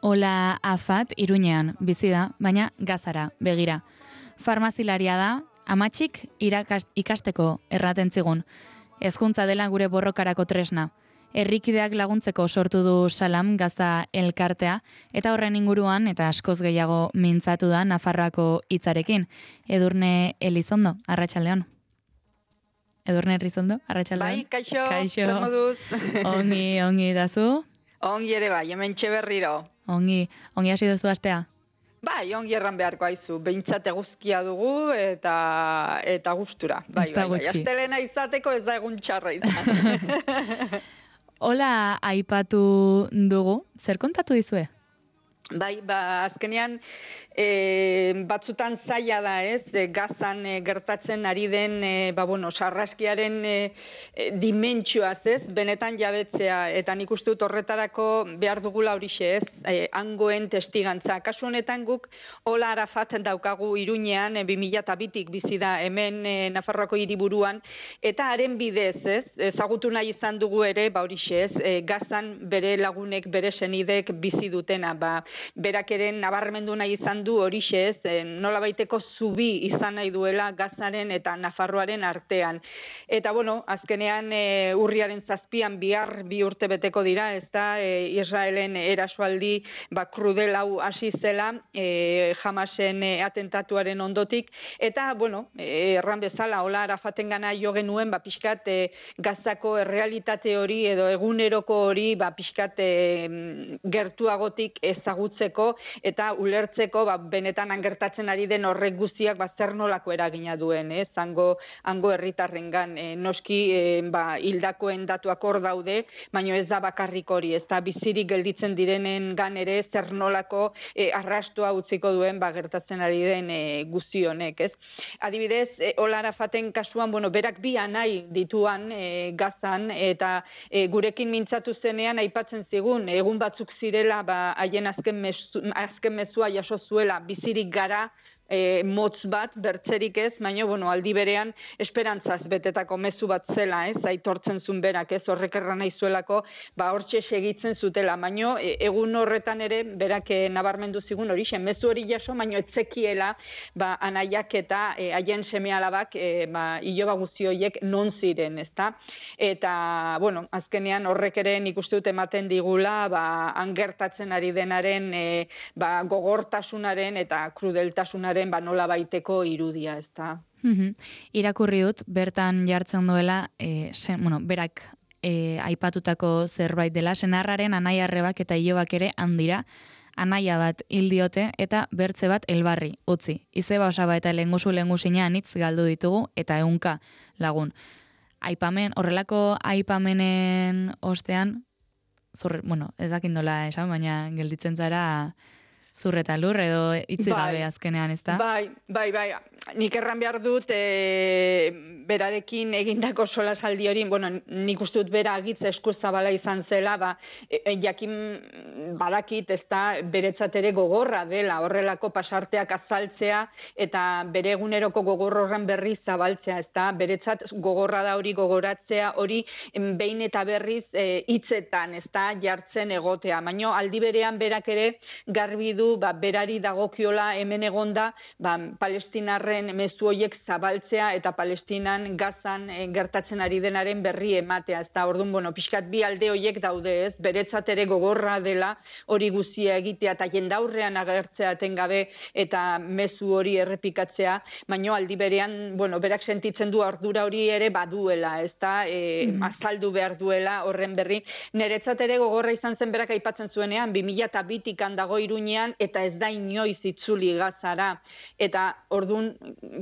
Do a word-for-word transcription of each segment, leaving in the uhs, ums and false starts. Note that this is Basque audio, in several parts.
Ola Afat Iruñean bizi da, baina Gazara begira. Farmazilaria da, amatxik irakast, ikasteko erraten zigun. Hezkuntza dela gure borrokarako tresna. Herrikideak laguntzeko sortu du Salam Gaza elkartea, eta horren inguruan eta askoz gehiago mintzatu da Nafarroako hitzarekin. Edurne Elizondo, arratsaldeon. Edurne Elizondo, arratsaldeon. Bai, kaixo, kaixo. zer moduz? Ongi, ongi dazu? Ongi ere bai, hemen berriro. Ongi, ongi hasi duzu astea? Bai, ongi erran beharko aizu, behintzat eguzkia dugu eta eta gustura. Bai, ez da bai, bai, gutxi. astelena izateko ez da egun txarra izan. Hola, aipatu dugu, zer kontatu dizue? Bai, ba, azkenean e, batzutan zaila da, ez, e, Gazan e, gertatzen ari den, e, ba, bueno, sarraskiaren e, e, dimentsioaz, ez, benetan jabetzea, eta nik uste dut horretarako behar dugula horixe, ez, e, hangoen testigantza. Kasu honetan guk Ola Arafat daukagu Iruñean, e, bi mila bitik bizi da hemen e, Nafarroako hiriburuan, eta haren bidez, ez, ezagutu nahi izan dugu ere, ba horixe, ez, e, Gazan bere lagunek, bere senidek bizi dutena, ba, berak ere nabarmendu nahi izan du horixe, ez, nola baiteko zubi izan nahi duela Gazaren eta Nafarroaren artean. Eta, bueno, azkenean e, urriaren zazpian bihar bi urte beteko dira, ez da, e, Israelen erasoaldi ba, krudel hau hasi zela e, Hamasen e, atentatuaren ondotik, eta, bueno, e, erran bezala, Ola Arafaten gana jo genuen, ba, pixkat e, Gazako errealitate hori edo eguneroko hori, ba, pixkat e, gertuagotik ezagutzeko eta ulertzeko ba, benetan angertatzen ari den horrek guztiak ba, zer nolako eragina duen, ez, hango, hango herritarrengan e, noski e, ba, hildakoen datuak hor daude, baina ez da bakarrik hori, ez da bizirik gelditzen direnen gan ere zer nolako e, arrastoa utziko duen ba, gertatzen ari den e, guzti honek, ez. Adibidez, e, Ola Arafaten kasuan, bueno, berak bi anai dituan e, Gazan, eta e, gurekin mintzatu zenean aipatzen zigun, egun batzuk zirela ba, haien azken, mezu, azken mezua jaso zuela bizirik gara, e, motz bat, bertzerik ez, baina, bueno, aldi berean esperantzaz betetako mezu bat zela, ez, aitortzen zuen berak, ez, horrek erran nahi zuelako, ba, hortxe segitzen zutela, baina e, egun horretan ere, berak e, nabarmendu zigun hori, mezu hori jaso, baina etzekiela, ba, anaiak eta e, haien seme alabak, e, ba, iloba guzti horiek non ziren, ezta? Eta, bueno, azkenean horrek ere nik uste dut ematen digula, ba, angertatzen ari denaren, e, ba, gogortasunaren eta krudeltasunaren ba nola baiteko irudia, ez da. Mm-hmm. Irakurri dut, bertan jartzen duela, e, sen, bueno, berak e, aipatutako zerbait dela, senarraren anai arrebak eta ilobak ere handira, anaia bat hil diote eta bertze bat elbarri, utzi. Izeba osaba eta lengusu lengusina anitz galdu ditugu eta ehunka lagun. Aipamen, horrelako aipamenen ostean, zur, bueno, ez dakindola esan, baina gelditzen zara zur eta lur edo itzi gabe bai, azkenean, ez da? Bai, bai, bai. Nik erran behar dut, e, berarekin egindako solasaldi hori, bueno, nik uste dut bera agitza eskuzabala izan zela, ba, e, jakin badakit, ez da, beretzat ere gogorra dela, horrelako pasarteak azaltzea, eta bere eguneroko gogor horren berriz zabaltzea, ez da, beretzat gogorra da hori gogoratzea, hori behin eta berriz e, hitzetan, ez da, jartzen egotea. Baina aldi berean berak ere garbi du, ba, berari dagokiola hemen egonda, ba, palestinarren mezu horiek zabaltzea eta Palestinan, Gazan e, gertatzen ari denaren berri ematea. Ez da, orduan, bueno, pixkat bi alde horiek daude, ez, beretzat ere gogorra dela hori guztia egitea eta jendaurrean agertzea etengabe eta mezu hori errepikatzea, baina aldi berean, bueno, berak sentitzen du ardura hori ere baduela, ez da, e, mm. azaldu behar duela horren berri. Niretzat ere gogorra izan zen berak aipatzen zuenean, bi mila bitik dago Iruñean, eta ez da inoiz itzuli Gazara. Eta orduan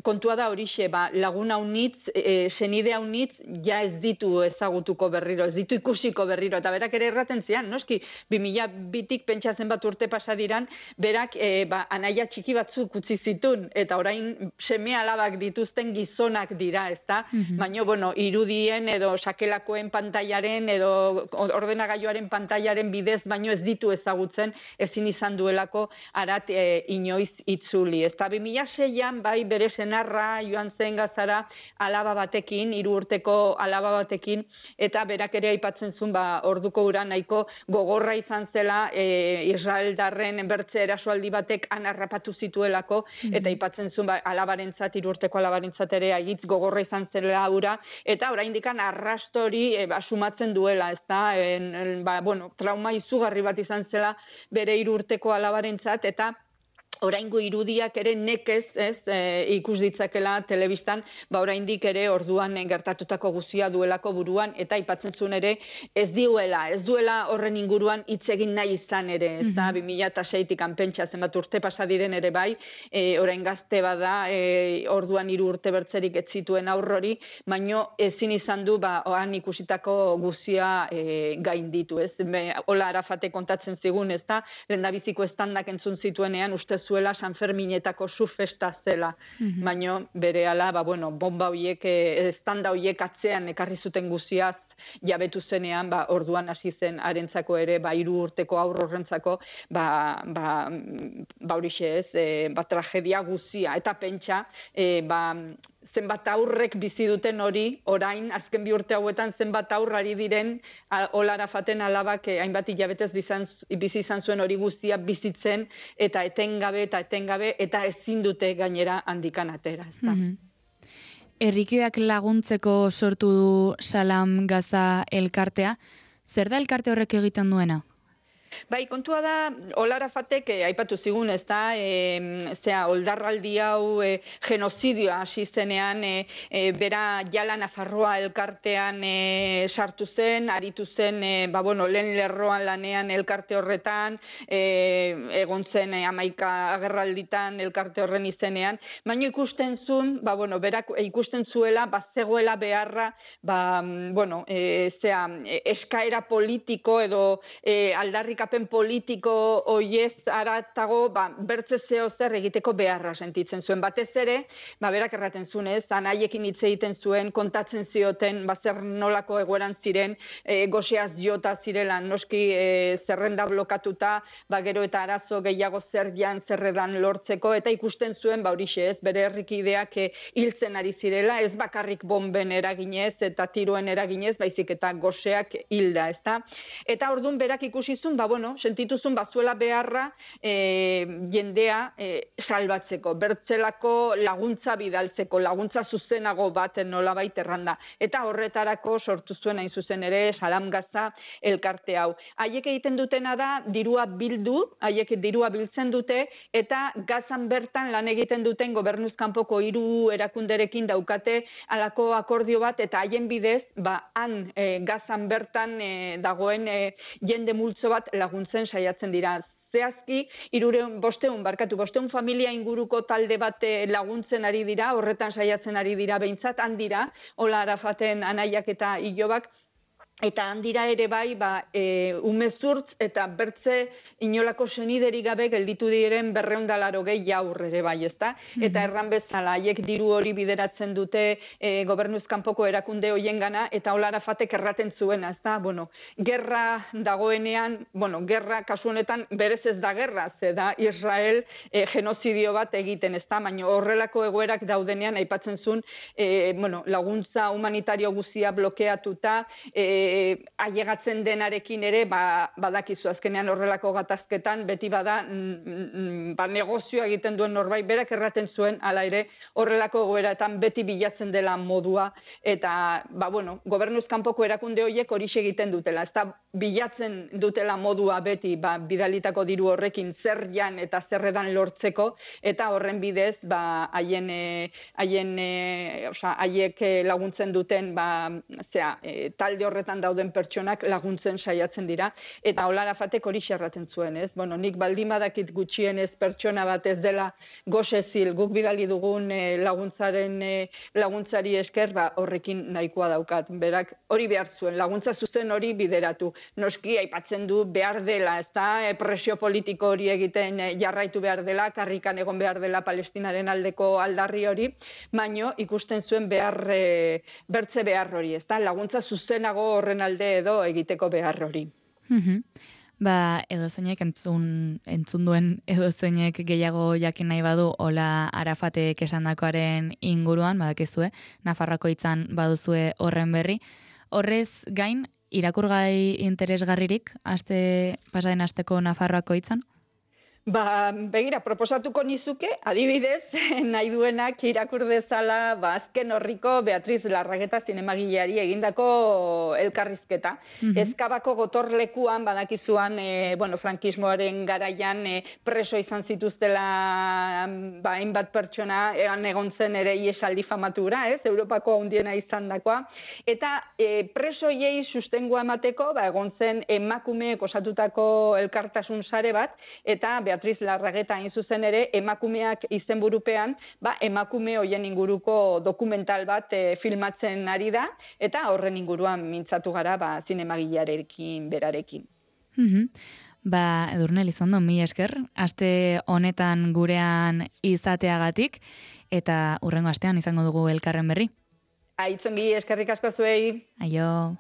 kontua da horixe, ba, laguna unitz, e, senide unitz, ja ez ditu ezagutuko berriro, ez ditu ikusiko berriro. Eta berak ere erraten zian, noski, bi mila bitik pentsatzen bat urte pasadiran, berak e, ba, anaia txiki batzuk utzi zitun, eta orain seme alabak dituzten gizonak dira, ez da? Mm-hmm. Baina, bueno, irudien edo sakelakoen pantailaren edo ordenagailuaren pantailaren bidez, baino ez ditu ezagutzen, ezin izan duelako zuelako arat e, inoiz itzuli. Ez da, bi mila seian bai bere senarra joan zen Gazara alaba batekin, hiru urteko alaba batekin, eta berak ere aipatzen zuen, ba, orduko ura nahiko gogorra izan zela e, Israeldarren bertze erasoaldi batek anarrapatu zituelako, mm-hmm. eta aipatzen zuen, ba, alabarentzat, hiru urteko alabarentzat ere agitz gogorra izan zela ura, eta oraindikan arrastori e, ba, sumatzen duela, ez da, en, en, ba, bueno, trauma izugarri bat izan zela bere hiru urteko alabarentzat, eta oraingo irudiak ere nekez, ez, e, ikus ditzakela telebistan, ba oraindik ere orduan gertatutako guztia duelako buruan, eta aipatzen zuen ere ez duela, ez duela horren inguruan hitz egin nahi izan ere, ez da, bi mila seitik anpentsa zenbat urte pasa diren ere bai, e, orain gazte bada, e, orduan hiru urte bertzerik ez zituen aurrori, baino ezin izan du, ba, oan ikusitako guztia e, gainditu, ez, Be, Ola Arafate kontatzen zigun, ez da, lehendabiziko estandak entzun zituenean, ustez zuela San Ferminetako zu festa zela, mm-hmm. baino berehala, ba, bueno, bomba hoiek, estanda hoiek atzean ekarri zuten guziaz, jabetu zenean, ba, orduan hasi zen harentzako ere, ba, hiru urteko aurro horrentzako, ba, ba, ba horixe ez, e, ba, tragedia guzia, eta pentsa, e, ba, zenbat aurrek bizi duten hori, orain, azken bi urte hauetan zenbat aurrari diren, Ola Arafaten alabak eh, hainbat hilabetez bizi izan zuen hori guztia bizitzen, eta etengabe, eta etengabe, eta ezin dute gainera handikan atera. Mm-hmm. Herrikideak laguntzeko sortu du Salam Gaza elkartea. Zer da elkarte horrek egiten duena? Bai, kontua da, Ola Arafatek, eh, aipatu zigun, ez da, e, zera, oldarraldi hau e, genozidioa hasi zenean, e, e, bera jala Nafarroa elkartean e, sartu zen, aritu zen, e, ba, bueno, lehen lerroan lanean elkarte horretan, e, egon zen e, amaika agerralditan elkarte horren izenean, baina ikusten zuen, ba, bueno, berak ikusten zuela, ba, zegoela beharra, ba, bueno, e, zera, eskaera politiko edo e, aldarrikapen politiko oiez aratago, ba, bertze zeo zer egiteko beharra sentitzen zuen. Batez ere, ba, berak erraten zuen, ez, anaiekin hitz egiten zuen, kontatzen zioten, ba, zer nolako egoeran ziren, e, goseaz jota zirela, noski e, zerrenda blokatuta, ba, gero eta arazo gehiago zer jan zerredan lortzeko, eta ikusten zuen, ba, horixe ez, bere herrikideak e, hiltzen ari zirela, ez bakarrik bomben eraginez, eta tiroen eraginez, baizik eta goseak hilda, ez da? Eta orduan berak ikusizun, ba, bueno, sentituzun bazuela beharra e, jendea e, salbatzeko, bertzelako laguntza bidaltzeko, laguntza zuzenago bat nolabait erranda. Eta horretarako sortu zuen hain zuzen ere Salam Gaza elkarte hau. Haiek egiten dutena da, dirua bildu, haiek dirua biltzen dute, eta Gazan bertan lan egiten duten gobernuz kanpoko hiru erakunderekin daukate halako akordio bat, eta haien bidez, ba, han e, Gazan bertan e, dagoen e, jende multzo bat laguntzen saiatzen dira. Zehazki, irureun, bosteun, barkatu, bosteun familia inguruko talde bat laguntzen ari dira, horretan saiatzen ari dira behintzat, handira, Ola Arafaten anaiak eta ilobak, eta handira ere bai, ba, e, umezurtz eta bertze inolako seniderik gabe gelditu diren berreun da larogei jaur ere bai, ezta? Eta erran bezala, haiek diru hori bideratzen dute e, gobernuz kanpoko erakunde hoien gana, eta Ola Arafatek erraten zuena, ezta? Bueno, gerra dagoenean, bueno, gerra kasu honetan berez ez da gerra, ze da Israel e, genozidio bat egiten, ezta? Baina horrelako egoerak daudenean aipatzen zuen, e, bueno, laguntza humanitario guzia blokeatuta, e, ailegatzen denarekin ere, ba, badakizu azkenean horrelako gatazketan, beti bada mm, ba, negozioa egiten duen norbait, berak erraten zuen, hala ere, horrelako goeraetan beti bilatzen dela modua, eta, ba, bueno, gobernuz kanpoko erakunde horiek horixe egiten dutela, ez da bilatzen dutela modua beti, ba, bidalitako diru horrekin zer jan eta zerredan lortzeko, eta horren bidez, ba, haien, haien, oza, haiek laguntzen duten, ba, zera, e, talde horretan dauden pertsonak laguntzen saiatzen dira, eta Ola Arafatek hori xerraten zuen, ez? Bueno, nik baldin badakit gutxienez pertsona bat ez dela gosezil, guk bidali dugun e, laguntzaren e, laguntzari esker, ba, horrekin nahikoa daukat. Berak hori behar zuen, laguntza zuzen hori bideratu. Noski aipatzen du behar dela, ez da, e, presio politiko hori egiten e, jarraitu behar dela, karrikan egon behar dela Palestinaren aldeko aldarri hori, baino ikusten zuen behar, e, bertze behar hori, ez da, laguntza zuzenago horren alde edo egiteko behar hori. Mm-hmm. Ba, edozeinek entzun, entzun duen edozeinek gehiago jakin nahi badu, hola Arafatek esandakoaren inguruan, badakizue, Nafarroako hitzan baduzue horren berri. Horrez gain, irakurgai interesgarririk, aste, pasaden asteko Nafarroako hitzan? Ba, begira, proposatuko nizuke, adibidez, nahi duenak irakur dezala, ba, azken horriko Beatriz Larrageta zinemagileari egindako elkarrizketa. Mm -hmm. Ezkabako gotorlekuan, badakizuan, e, bueno, frankismoaren garaian e, preso izan zituztela, ba, hainbat pertsona, egan egon zen ere iesaldi famatura, ez, Europako handiena izan dakoa. Eta e, presoiei sustengua emateko, ba, egon zen emakumeek osatutako elkartasun sare bat, eta Beatriz Larrageta hain zuzen ere, emakumeak izenburupean, ba, emakume hoien inguruko dokumental bat e, filmatzen ari da, eta horren inguruan mintzatu gara, ba, zinemagilearekin berarekin. Mm-hmm. Ba, Edurne Elizondo, mi esker, aste honetan gurean izateagatik, eta hurrengo astean izango dugu elkarren berri. Aitzongi, eskerrik asko zuei. Aio.